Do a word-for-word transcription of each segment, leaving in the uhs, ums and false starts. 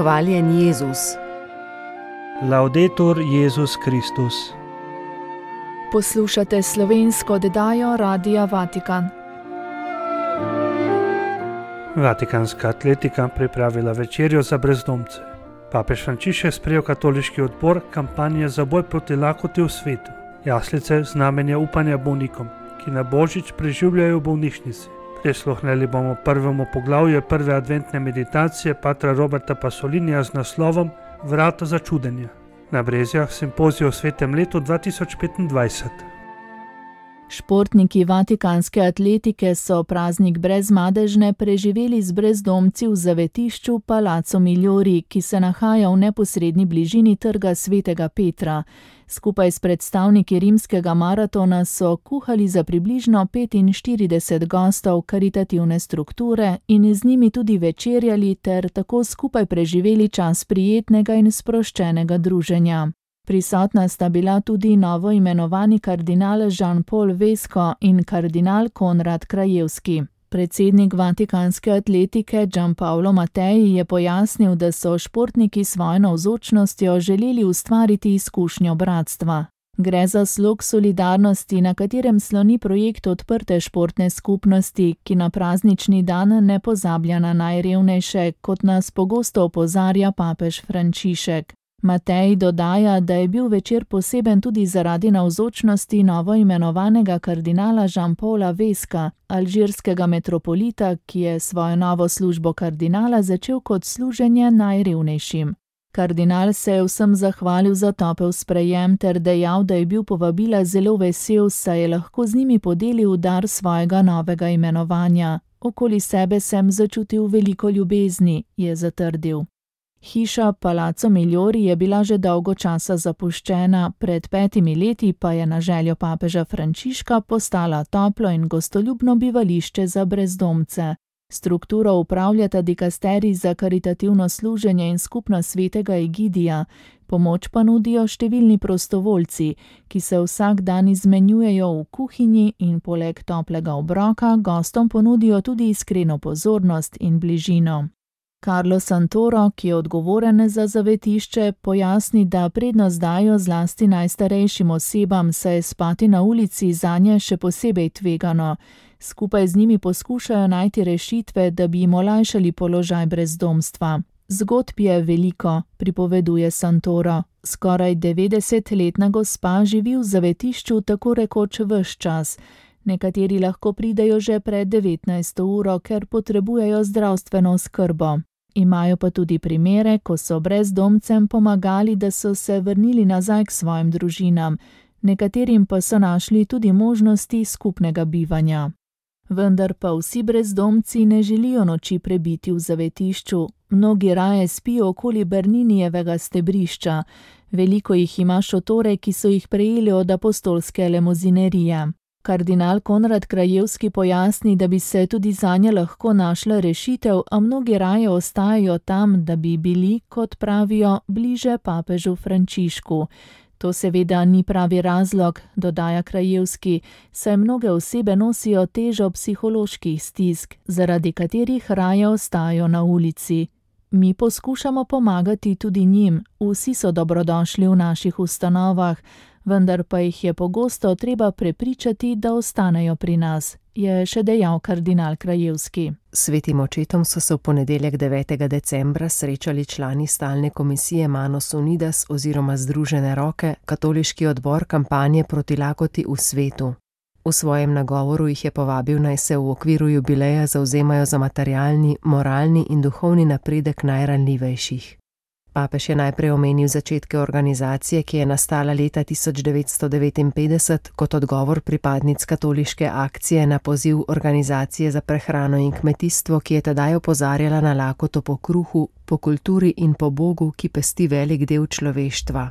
Hvaljen Jezus. Laudetur Jezus Kristus. Poslušate slovensko oddajo Radia Vatikan. Vatikanska atletika pripravila večerjo za brezdomce. Papež Frančišek sprejel katoliški odbor kampanje za boj proti lakoti v svetu. Jaslice znamenja upanja bolnikom, ki na božič preživljajo v bolnišnici. Prisluhnili bomo prvemu poglavju prve adventne meditacije patra Roberta Pasolinija z naslovom Vrata začudenja. Na Brezjah simpozij o svetem letu dva tisoč petindvajset. Športniki vatikanske atletike so praznik brezmadežne preživeli z brezdomci v zavetišču Palazzo Migliori, ki se nahaja v neposredni bližini trga svetega Petra. Skupaj s predstavniki rimskega maratona so kuhali za približno petinštirideset gostov karitativne strukture in z njimi tudi večerjali ter tako skupaj preživeli čas prijetnega in sproščenega druženja. Prisotna sta bila tudi novo imenovani kardinal Jean-Paul Vesco in kardinal Konrad Krajewski. Predsednik vatikanske atletike Gianpaolo Mattei je pojasnil, da so športniki svojo navzočnostjo želeli ustvariti izkušnjo bratstva. Gre za slog solidarnosti, na katerem sloni projekt odprte športne skupnosti, ki na praznični dan ne pozablja na najrevnejše, kot nas pogosto opozarja papež Frančišek. Matej dodaja, da je bil večer poseben tudi zaradi navzočnosti novo imenovanega kardinala Jean-Paula Vesca, alžirskega metropolita, ki je svojo novo službo kardinala začel kot služenje najrevnejšim. Kardinal se je vsem zahvalil za topel sprejem ter dejal, da je bil povabila zelo vesel, saj je lahko z njimi podelil dar svojega novega imenovanja. Okoli sebe sem začutil veliko ljubezni, je zatrdil. Hiša Palazzo Migliori je bila že dolgo časa zapuščena, pred petimi leti pa je na željo papeža Frančiška postala toplo in gostoljubno bivališče za brezdomce. Strukturo upravljata dikasterij za karitativno služenje in skupnost svetega Egidija, pomoč pa nudijo številni prostovoljci, ki se vsak dan izmenjujejo v kuhinji in poleg toplega obroka gostom ponudijo tudi iskreno pozornost in bližino. Carlo Santoro, ki je odgovoren za zavetišče, pojasni, da prednost dajo zlasti najstarejšim osebam, saj je spati na ulici zanje še posebej tvegano. Skupaj z njimi poskušajo najti rešitve, da bi jim olajšali položaj brezdomstva. Zgodb je veliko, pripoveduje Santoro. Skoraj devetdesetletna gospa živi v zavetišču tako rekoč ves čas. Nekateri lahko pridejo že pred devetnajsto uro, ker potrebujejo zdravstveno oskrbo. Imajo pa tudi primere, ko so brezdomcem pomagali, da so se vrnili nazaj k svojim družinam. Nekaterim pa so našli tudi možnosti skupnega bivanja. Vendar pa vsi brezdomci ne želijo noči prebiti v zavetišču. Mnogi raje spijo okoli Berninijevega stebrišča. Veliko jih ima šotore, ki so jih prejeli od apostolske lemozinerije. Kardinal Konrad Krajewski pojasni, da bi se tudi zanje lahko našla rešitev, a mnogi raje ostajajo tam, da bi bili, kot pravijo, bliže papežu Frančišku. To seveda ni pravi razlog, dodaja Krajewski, saj mnoge osebe nosijo težo psiholoških stisk, zaradi katerih raje ostajajo na ulici. Mi poskušamo pomagati tudi njim, vsi so dobrodošli v naših ustanovah, vendar pa jih je pogosto treba prepričati, da ostanejo pri nas, je še dejal kardinal Krajewski. Svetim očetom so se v ponedeljek devetega decembra srečali člani stalne komisije Manos Unidas oziroma Združene roke, katoliški odbor kampanje proti lakoti v svetu. V svojem nagovoru jih je povabil, naj se v okviru jubileja zavzemajo za materialni, moralni in duhovni napredek najranljivejših. Papež je najprej omenil začetke organizacije, ki je nastala leta tisoč devetsto devetinpetdeset kot odgovor pripadnic katoliške akcije na poziv Organizacije za prehrano in kmetijstvo, ki je tedaj opozarjala na lakoto po kruhu, po kulturi in po Bogu, ki pesti velik del človeštva.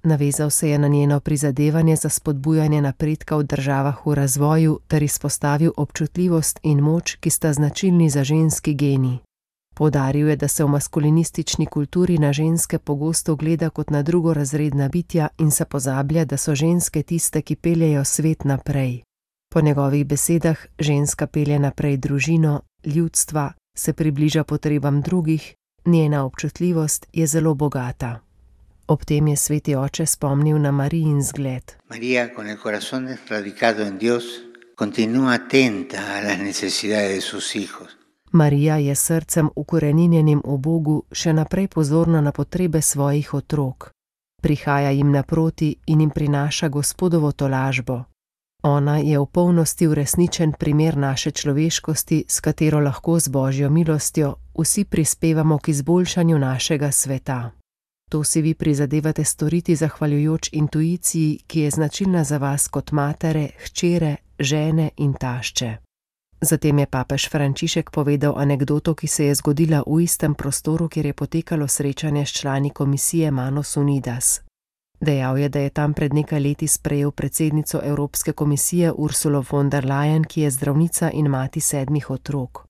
Navezal se je na njeno prizadevanje za spodbujanje napredka v državah v razvoju ter izpostavil občutljivost in moč, ki sta značilni za ženski geni. Poudaril je, da se v maskulinistični kulturi na ženske pogosto gleda kot na drugorazredna bitja in se pozablja, da so ženske tiste, ki peljejo svet naprej. Po njegovih besedah ženska pelje naprej družino, ljudstva, se približa potrebam drugih Njena občutljivost je zelo bogata. Ob tem je sveti oče spomnil na Marijin zgled. María, con el corazón radicado en Dios, continúa atenta a las necesidades de sus hijos. Marija je s srcem ukoreninjenim v Bogu še naprej pozorna na potrebe svojih otrok. Prihaja jim naproti in jim prinaša Gospodovo tolažbo. Ona je v polnosti uresničen primer naše človeškosti, s katero lahko z Božjo milostjo vsi prispevamo k izboljšanju našega sveta. To si vi prizadevate storiti zahvaljujoč intuiciji, ki je značilna za vas kot matere, hčere, žene in tašče. Zatem je papež Frančišek povedal anekdoto, ki se je zgodila v istem prostoru, kjer je potekalo srečanje s člani komisije Manos Unidas. Dejal je, da je tam pred nekaj leti sprejel predsednico Evropske komisije Ursulo von der Leyen, ki je zdravnica in mati sedmih otrok.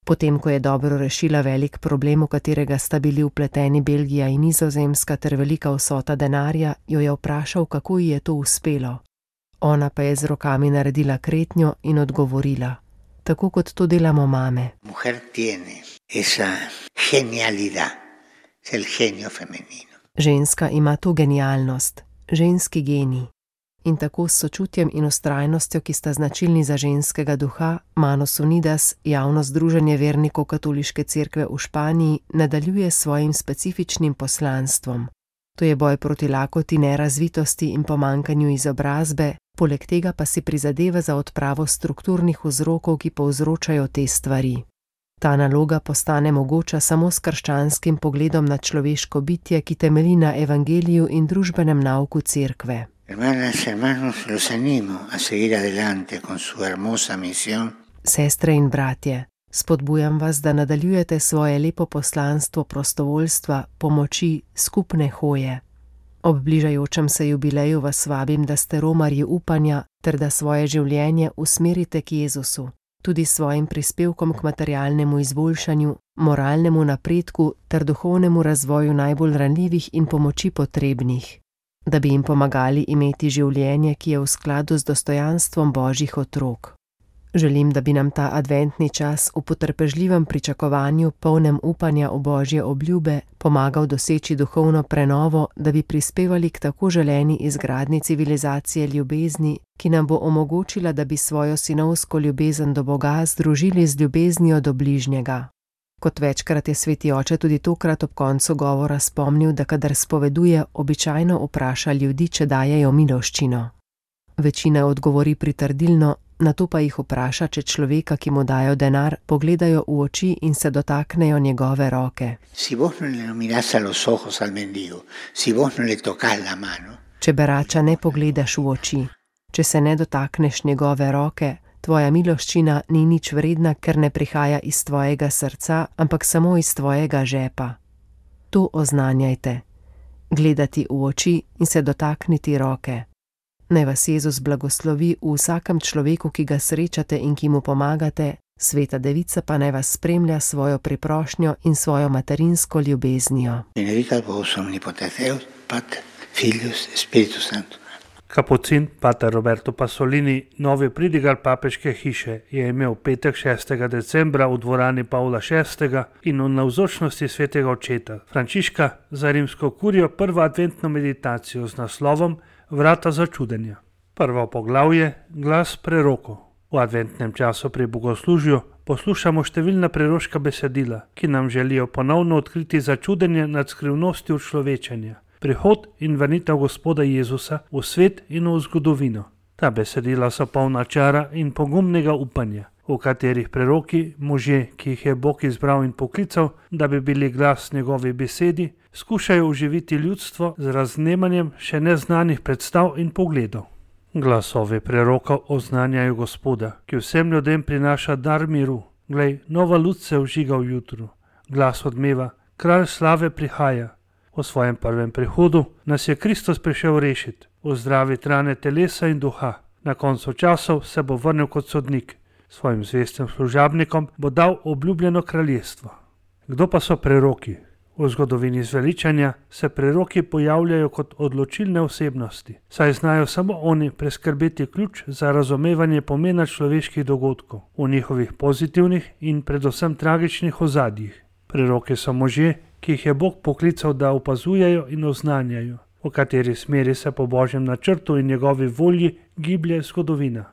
Potem, ko je dobro rešila velik problem, v katerega sta bili vpleteni Belgija in Nizozemska ter velika vsota denarja, jo je vprašal, kako ji je to uspelo. Ona pa je z rokami naredila kretnjo in odgovorila: tako kot to delamo mame. Mujer tiene esa genialidad, es el genio femenino. Ženska ima to genialnost, ženski genij. In tako s sočutjem in vztrajnostjo, ki sta značilni za ženskega duha, Manos Unidas, javno združenje vernikov katoliške cerkve v Španiji, nadaljuje s svojim specifičnim poslanstvom. To je boj proti lakoti, nerazvitosti in pomanjkanju izobrazbe, poleg tega pa si prizadeva za odpravo strukturnih vzrokov, ki povzročajo te stvari. Ta naloga postane mogoča samo s krščanskim pogledom na človeško bitje, ki temelji na evangeliju in družbenem nauku cerkve. Hermanas, hermanos, los animo a seguir adelante con su hermosa misión. Sestre in bratje, spodbujam vas, da nadaljujete svoje lepo poslanstvo prostovoljstva, pomoči, skupne hoje. Ob bližajočem se jubileju vas vabim, da ste romarji upanja ter da svoje življenje usmerite k Jezusu, tudi s svojim prispevkom k materialnemu izboljšanju, moralnemu napredku ter duhovnemu razvoju najbolj ranljivih in pomoči potrebnih, da bi jim pomagali imeti življenje, ki je v skladu z dostojanstvom Božjih otrok. Želim, da bi nam ta adventni čas v potrpežljivem pričakovanju, polnem upanja v Božje obljube, pomagal doseči duhovno prenovo, da bi prispevali k tako želeni izgradnji civilizacije ljubezni, ki nam bo omogočila, da bi svojo sinovsko ljubezen do Boga združili z ljubeznijo do bližnjega. Kot večkrat je sveti oče tudi tokrat ob koncu govora spomnil, da kadar spoveduje, običajno vpraša ljudi, če dajejo miloščino. Večina odgovori pritrdilno, nato pa jih vpraša, če človeka, ki mu dajo denar, pogledajo v oči in se dotaknejo njegove roke. Si vos no le mirás a los ojos al mendigo, si vos no le tocás la mano. Če berača ne pogledaš v oči, če se ne dotakneš njegove roke, tvoja miloščina ni nič vredna, ker ne prihaja iz tvojega srca, ampak samo iz tvojega žepa. To oznanjajte, gledati v oči in se dotakniti roke. Naj vas Jezus blagoslovi v vsakem človeku, ki ga srečate in ki mu pomagate, sveta devica pa naj vas spremlja svojo priprošnjo in svojo materinsko ljubeznijo. Benedicat vos omnipotens Deus, Pater, Filius, Spiritus Sanctus. Kapucin pater Roberto Pasolini, novi pridigar papeške hiše, je imel petek šestega decembra v dvorani Pavla šestega in v navzočnosti svetega očeta Frančiška za rimsko kurijo prvo adventno meditacijo z naslovom Vrata začudenja. Prvo poglavje, glas prerokov. V adventnem času pri bogoslužju poslušamo številna preroška besedila, ki nam želijo ponovno odkriti začudenje nad skrivnostjo človečenja, prihod in vrnitev Gospoda Jezusa v svet in v zgodovino. Ta besedila so polna čara in pogumnega upanja, v katerih preroki, možje, ki jih je Bog izbral in poklical, da bi bili glas njegovi besedi, skušajo oživiti ljudstvo z raznemanjem še neznanih predstav in pogledov. Glasovi prerokov oznanjajo Gospoda, ki vsem ljudem prinaša dar miru. Glej, nova luč se vžiga v jutru. Glas odmeva, kralj slave prihaja. O svojem prvem prihodu nas je Kristus prišel rešiti, ozdraviti rane telesa in duha. Na koncu časov se bo vrnil kot sodnik. Svojim zvestim služabnikom bo dal obljubljeno kraljestvo. Kdo pa so preroki? V zgodovini zveličanja se preroki pojavljajo kot odločilne osebnosti, saj znajo samo oni preskrbeti ključ za razumevanje pomena človeških dogodkov v njihovih pozitivnih in predvsem tragičnih ozadjih. Preroki so možje, ki jih je Bog poklical, da opazujejo in oznanjajo, v kateri smeri se po Božjem načrtu in njegovi volji giblje zgodovina.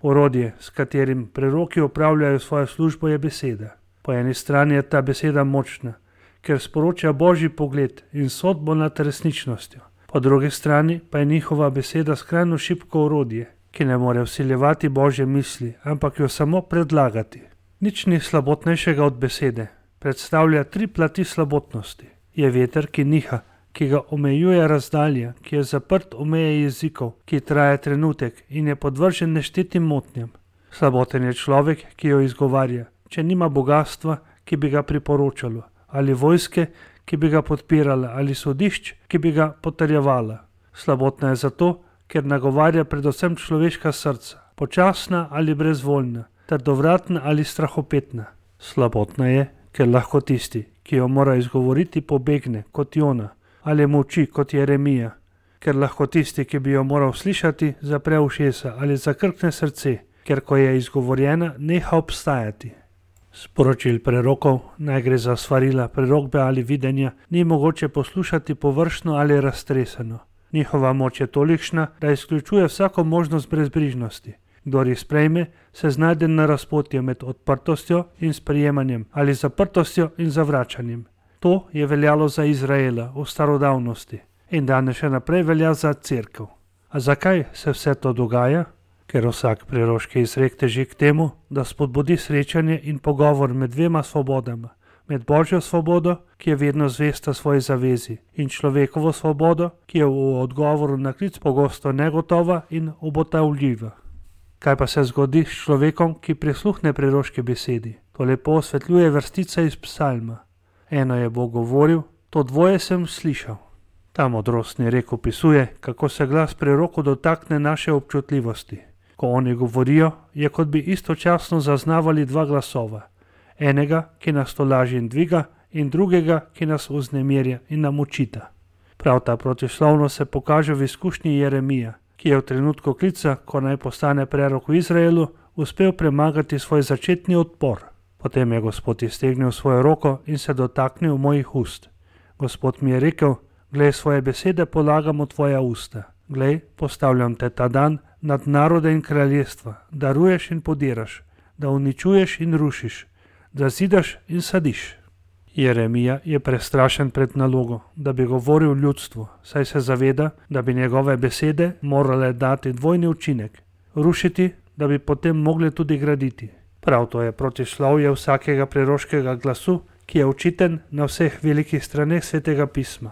Orodje, s katerim preroki opravljajo svojo službo, je beseda. Po eni strani je ta beseda močna, ker sporoča Božji pogled in sodbo nad resničnostjo. Po drugi strani pa je njihova beseda skrajno šibko orodje, ki ne more vsiljevati Božje misli, ampak jo samo predlagati. Nič ni slabotnejšega od besede. Predstavlja tri plati slabotnosti. Je veter, ki niha, ki ga omejuje razdalja, ki je zaprt v meje jezikov, ki traja trenutek in je podvržen neštetim motnjam. Slaboten je človek, ki jo izgovarja, če nima bogastva, ki bi ga priporočalo, ali vojske, ki bi ga podpirala, ali sodišč, ki bi ga potrjevala. Slabotna je zato, ker nagovarja predvsem človeška srca, počasna ali brezvoljna, trdovratna ali strahopetna. Slabotna je, ker lahko tisti, ki jo mora izgovoriti, pobegne kot Jona, ali molči kot Jeremija, ker lahko tisti, ki bi jo moral slišati, zapre ušesa ali zakrkne srce, ker ko je izgovorjena, neha obstajati. Sporočil prerokov, naj gre za svarila, prerokbe ali videnja, ni mogoče poslušati površno ali raztreseno. Njihova moč je tolikšna, da izključuje vsako možnost brezbrižnosti. Kdor jih sprejme, se znajde na razpotju med odprtostjo in sprejemanjem ali zaprtostjo in zavračanjem. To je veljalo za Izraela v starodavnosti in danes še naprej velja za cerkev. A zakaj se vse to dogaja? Ker vsak preroški izrek teži k temu, da spodbudi srečanje in pogovor med dvema svobodama, med Božjo svobodo, ki je vedno zvesta svoji zavezi, in človekovo svobodo, ki je v odgovoru na klic pogosto negotova in obotavljiva. Kaj pa se zgodi s človekom, ki prisluhne preroški besedi? To lepo osvetljuje vrstica iz psalma. Eno je Bog govoril, to dvoje sem slišal. Ta modrostni rek opisuje, kako se glas prerokov dotakne naše občutljivosti. Ko oni govorijo, je kot bi istočasno zaznavali dva glasova. Enega, ki nas tolaži in dviga, in drugega, ki nas vznemirja in nam učita. Prav ta protislovnost se pokaže v izkušnji Jeremija, ki je v trenutku klica, ko naj postane prerok v Izraelu, uspel premagati svoj začetni odpor. Potem je Gospod iztegnil svojo roko in se dotaknil mojih ust. Gospod mi je rekel, glej, svoje besede polagam v tvoja usta. Glej, postavljam te ta dan nad narode in kraljestva, da ruješ in podiraš, da uničuješ in rušiš, da zidaš in sadiš. Jeremija je prestrašen pred nalogo, da bi govoril ljudstvu, saj se zaveda, da bi njegove besede morale dati dvojni učinek, rušiti, da bi potem mogli tudi graditi. Prav to je protislovje vsakega preroškega glasu, ki je učiten na vseh velikih straneh svetega pisma,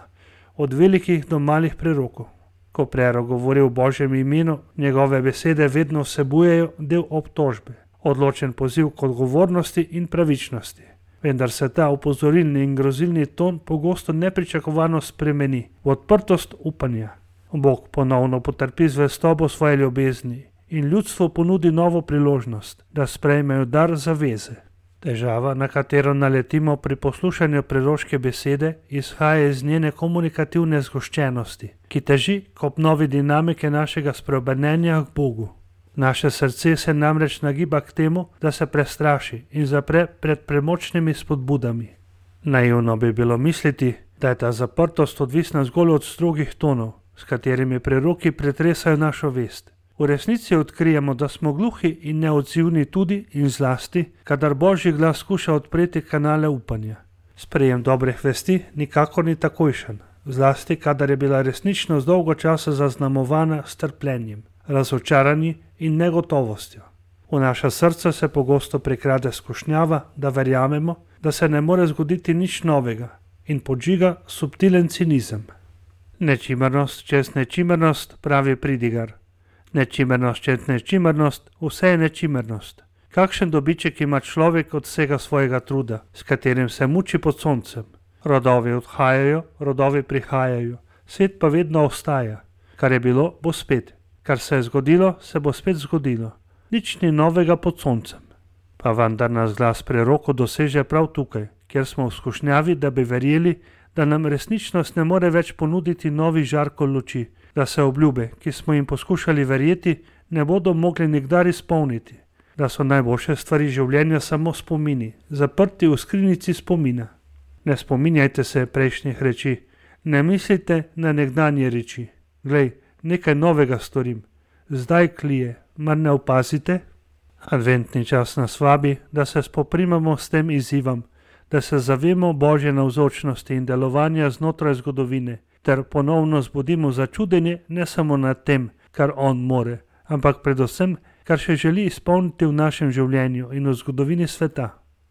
od velikih do malih prerokov. Ko prerok govori v Božjem imenu, njegove besede vedno vsebujejo del obtožbe, odločen poziv k odgovornosti in pravičnosti. Vendar se ta opozorilni in grozilni ton pogosto nepričakovano spremeni v odprtost upanja. Bog ponovno potrpi zvestobo svoje ljubezni in ljudstvo ponudi novo priložnost, da sprejmejo dar zaveze. Težava, na katero naletimo pri poslušanju preroške besede, izhaja iz njene komunikativne zgoščenosti, ki teži k obnovi dinamike našega spreobrnenja k Bogu. Naše srce se namreč nagiba k temu, da se prestraši in zapre pred premočnimi spodbudami. Naivno bi bilo misliti, da je ta zaprtost odvisna zgolj od strogih tonov, s katerimi preroki pretresajo našo vest. V resnici odkrijemo, da smo gluhi in neodzivni tudi in zlasti, kadar Božji glas skuša odpreti kanale upanja. Sprejem dobrih vesti nikakor ni takojšen, zlasti kadar je bila resničnost dolgo časa zaznamovana s trpljenjem, razočaranji in negotovostjo. V naša srca se pogosto prikrade skušnjava, da verjamemo, da se ne more zgoditi nič novega in podžiga subtilen cinizem. Nečimernost čez nečimernost, pravi pridigar. Nečimernost čez nečimernost, vse je nečimernost. Kakšen dobiček ima človek od vsega svojega truda, s katerim se muči pod soncem? Rodovi odhajajo, rodovi prihajajo, svet pa vedno ostaja. Kar je bilo, bo spet. Kar se je zgodilo, se bo spet zgodilo. Nič ni novega pod soncem. Pa vendar nas glas prerokov doseže prav tukaj, kjer smo v skušnjavi, da bi verjeli, da nam resničnost ne more več ponuditi novi žarko luči, da se obljube, ki smo jim poskušali verjeti, ne bodo mogli nikdar izpolniti, da so najboljše stvari življenja samo spomini, zaprti v skrinjici spomina. Ne spominjajte se prejšnjih reči, ne mislite na nekdanje reči. Glej, nekaj novega storim, zdaj klije, mar ne opazite? Adventni čas nas vabi, da se spoprimamo s tem izzivom, da se zavemo Božje navzočnosti in delovanja znotraj zgodovine, ter ponovno zbudimo začudenje ne samo nad tem, kar on more, ampak predvsem, kar še želi izpolniti v našem življenju in v zgodovini sveta.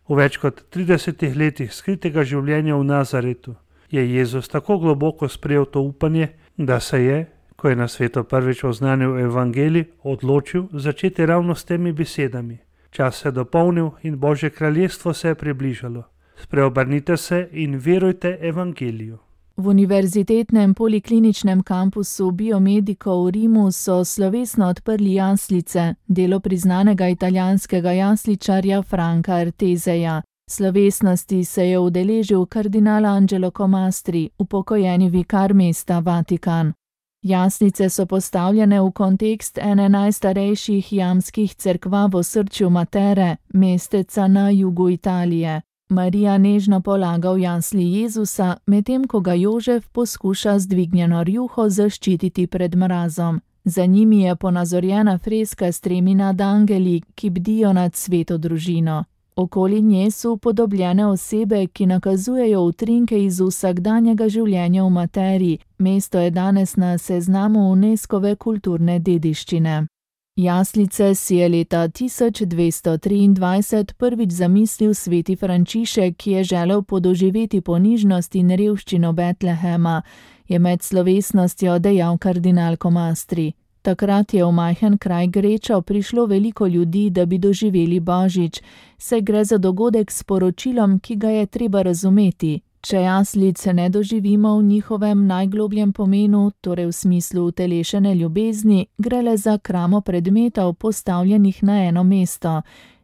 V več kot tridesetih letih skritega življenja v Nazaretu je Jezus tako globoko sprejel to upanje, da se je, ko je na svetu prvič oznanil evangelij, odločil začeti ravno s temi besedami. Čas se je dopolnil in Božje kraljestvo se je približalo. Spreobrnite se in verujte evangeliju. V univerzitetnem polikliničnem kampusu Biomedico v Rimu so slovesno odprli jaslice, delo priznanega italijanskega jasličarja Franca Arteseja. Slovesnosti se je udeležil kardinal Angelo Comastri, upokojeni vikar mesta Vatikan. Jaslice so postavljene v kontekst ene najstarejših jamskih cerkva v osrčju Matere, mesteca na jugu Italije. Marija nežno polaga v jasli Jezusa, medtem ko ga Jožef poskuša z dvignjeno rjuho zaščititi pred mrazom. Za njimi je ponazorjena freska s tremi nadangeli, ki bdijo nad sveto družino. Okoli nje so upodobljene osebe, ki nakazujejo utrinke iz vsakdanjega življenja v Materi. Mesto je danes na seznamu UNESCOve kulturne dediščine. Jaslice si je leta tisoč dvesto triindvajset prvič zamislil sveti Frančišek, ki je želel podoživeti ponižnost in revščino Betlehema, je med slovesnostjo dejal kardinal Comastri. Takrat je v majhen kraj Grečo prišlo veliko ljudi, da bi doživeli Božič, saj gre za dogodek s sporočilom, ki ga je treba razumeti. Če jaslic ne doživimo v njihovem najglobljem pomenu, torej v smislu utelešene ljubezni, gre le za kramo predmetov postavljenih na eno mesto.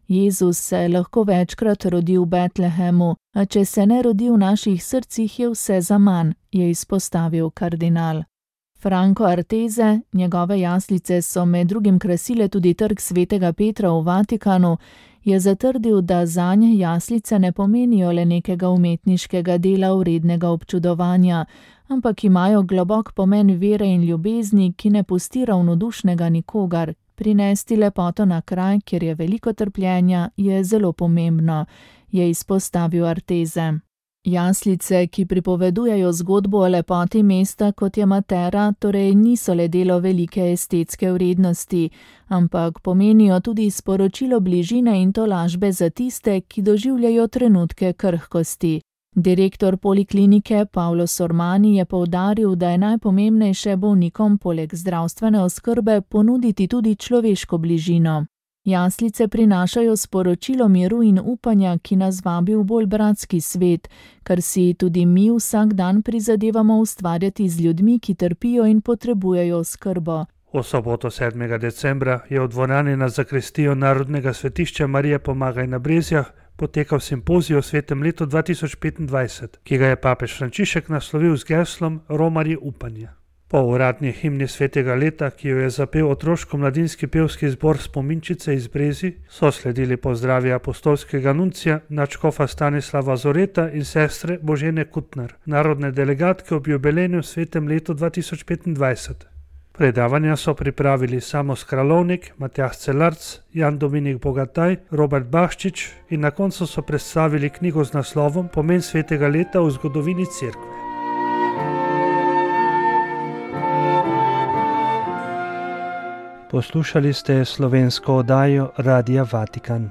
Jezus se lahko večkrat rodi v Betlehemu, a če se ne rodi v naših srcih, je vse zaman, je izpostavil kardinal. Franco Artese, njegove jaslice so med drugim krasile tudi trg svetega Petra v Vatikanu, je zatrdil, da zanje jaslice ne pomenijo le nekega umetniškega dela vrednega občudovanja, ampak imajo globok pomen vere in ljubezni, ki ne pusti ravnodušnega nikogar. Prinesti lepoto na kraj, kjer je veliko trpljenja, je zelo pomembno, je izpostavil Artese. Jaslice, ki pripovedujejo zgodbo o lepoti mesta, kot je Matera, torej niso le delo velike estetske vrednosti, ampak pomenijo tudi sporočilo bližine in tolažbe za tiste, ki doživljajo trenutke krhkosti. Direktor poliklinike Paolo Sormani je poudaril, da je najpomembnejše bolnikom poleg zdravstvene oskrbe ponuditi tudi človeško bližino. Jaslice prinašajo sporočilo miru in upanja, ki nas vabi v bolj bratski svet, kar si tudi mi vsak dan prizadevamo ustvarjati z ljudmi, ki trpijo in potrebujejo oskrbo. V soboto sedmega decembra je v dvorani na zakristijo Narodnega svetišča Marije Pomagaj na Brezjah potekal simpozij o svetem letu dva tisoč petindvajset, ki ga je papež Frančišek naslovil z geslom Romarji upanja. Po uradni himni svetega leta, ki jo je zapel otroško-mladinski pevski zbor Spominčice iz Brezij, so sledili pozdravi apostolskega nuncija nadškofa Stanislava Zoreta in sestre Božene Kutner, narodne delegatke ob jubilejnem svetem letu dva tisoč petindvajset. Predavanja so pripravili Samo Skralovnik, Matjaž Celarc, Jan Dominik Bogataj, Robert Baščič in na koncu so predstavili knjigo z naslovom Pomen svetega leta v zgodovini cerkve. Poslušali ste slovensko oddajo Radia Vatikan.